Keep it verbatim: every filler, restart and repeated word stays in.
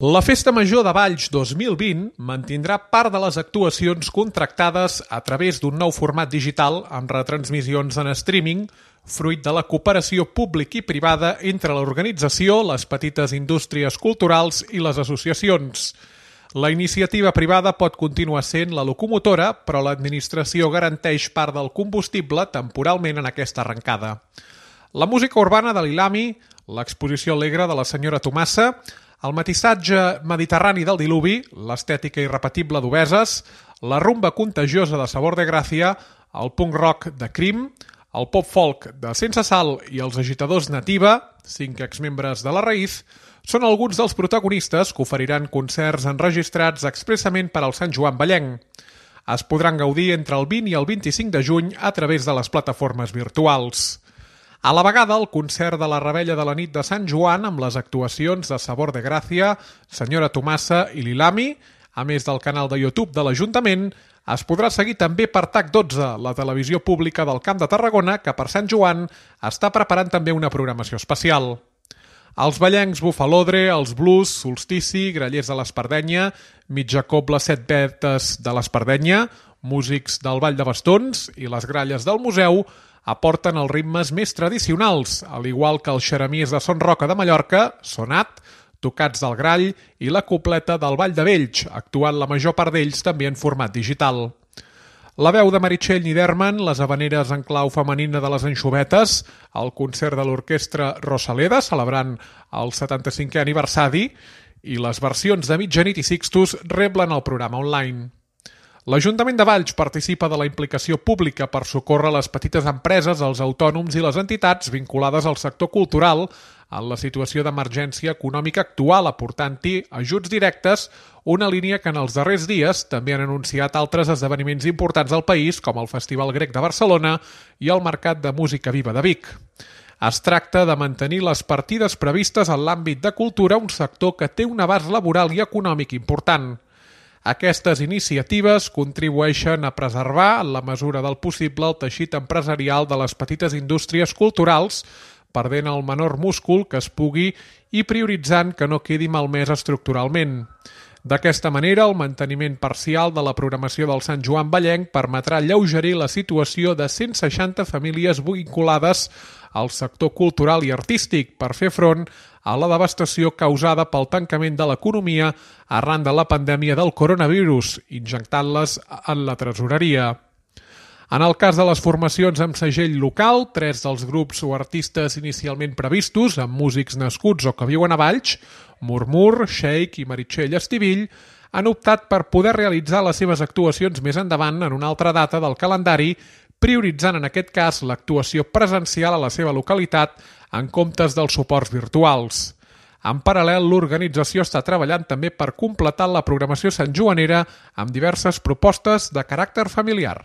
La Festa Major de Valls dos mil vint mantindrà part de les actuacions contractades a través d'un nou format digital amb retransmissions en streaming, fruit de la cooperació pública i privada entre l'organització, les petites indústries culturals i les associacions. La iniciativa privada pot continuar sent la locomotora, però l'administració garanteix part del combustible temporalment en aquesta arrencada. La música urbana de l'Ilami, l'exposició alegre de la senyora Tomassa, el matissatge mediterrani del diluvi, l'estètica irrepetible d'Obeses, la rumba contagiosa de Sabor de Gràcia, el punk rock de Crim, el pop folk de Sense Sal i els agitadors Nativa, cinc exmembres de la Raïz, són alguns dels protagonistes que oferiran concerts enregistrats expressament per al Sant Joan Vallenc. Es podran gaudir entre el vint i el vint-i-cinc de juny a través de les plataformes virtuals. A la vegada, el concert de la Revetlla de la nit de Sant Joan amb les actuacions de Sabor de Gràcia, senyora Tomassa i l'Ilami, a més del canal de YouTube de l'Ajuntament, es podrà seguir també per T A C dotze, la televisió pública del Camp de Tarragona, que per Sant Joan està preparant també una programació especial. Els ballencs Bufalodre, els blues, Solstici, Grallers de l'Espardenya, Mitja Cobla Set Vetes de l'Espardenya, músics del Ball de Bastons i les gralles del museu aporten els ritmes més tradicionals, al igual que els xeremies de Son Roca de Mallorca, Sonat, tocats del Grall i la copleta del Ball de Vells, actuant la major part d'ells també en format digital. La veu de Meritxell Niederman, les habaneres en clau femenina de les Anxovetes, el concert de l'orquestra Rosaleda, celebrant el setanta-cinquè aniversari, i les versions de Mitjanit i Sixtus reblen el programa online. L'Ajuntament de Valls participa de la implicació pública per socórrer les petites empreses, els autònoms i les entitats vinculades al sector cultural en la situació d'emergència econòmica actual, aportant-hi ajuts directes, una línia que en els darrers dies també han anunciat altres esdeveniments importants del país, com el Festival Grec de Barcelona i el Mercat de Música Viva de Vic. Es tracta de mantenir les partides previstes en l'àmbit de cultura, un sector que té un abast laboral i econòmic important. Aquestes iniciatives contribueixen a preservar, en la mesura del possible, el teixit empresarial de les petites indústries culturals, perdent el menor múscul que es pugui i prioritzant que no quedi malmès estructuralment. D'aquesta manera, el manteniment parcial de la programació del Sant Joan Vallenc permetrà alleugerir la situació de cent seixanta famílies vinculades al sector cultural i artístic per fer front a la devastació causada pel tancament de l'economia arran de la pandèmia del coronavirus, injectant-les en la tresoreria. En el cas de les formacions amb segell local, tres dels grups o artistes inicialment previstos, amb músics nascuts o que viuen a Valls, Murmur, Sheik i Meritxell Estivill, han optat per poder realitzar les seves actuacions més endavant en una altra data del calendari, prioritzant en aquest cas l'actuació presencial a la seva localitat en comptes dels suports virtuals. En paral·lel, l'organització està treballant també per completar la programació santjoanera amb diverses propostes de caràcter familiar.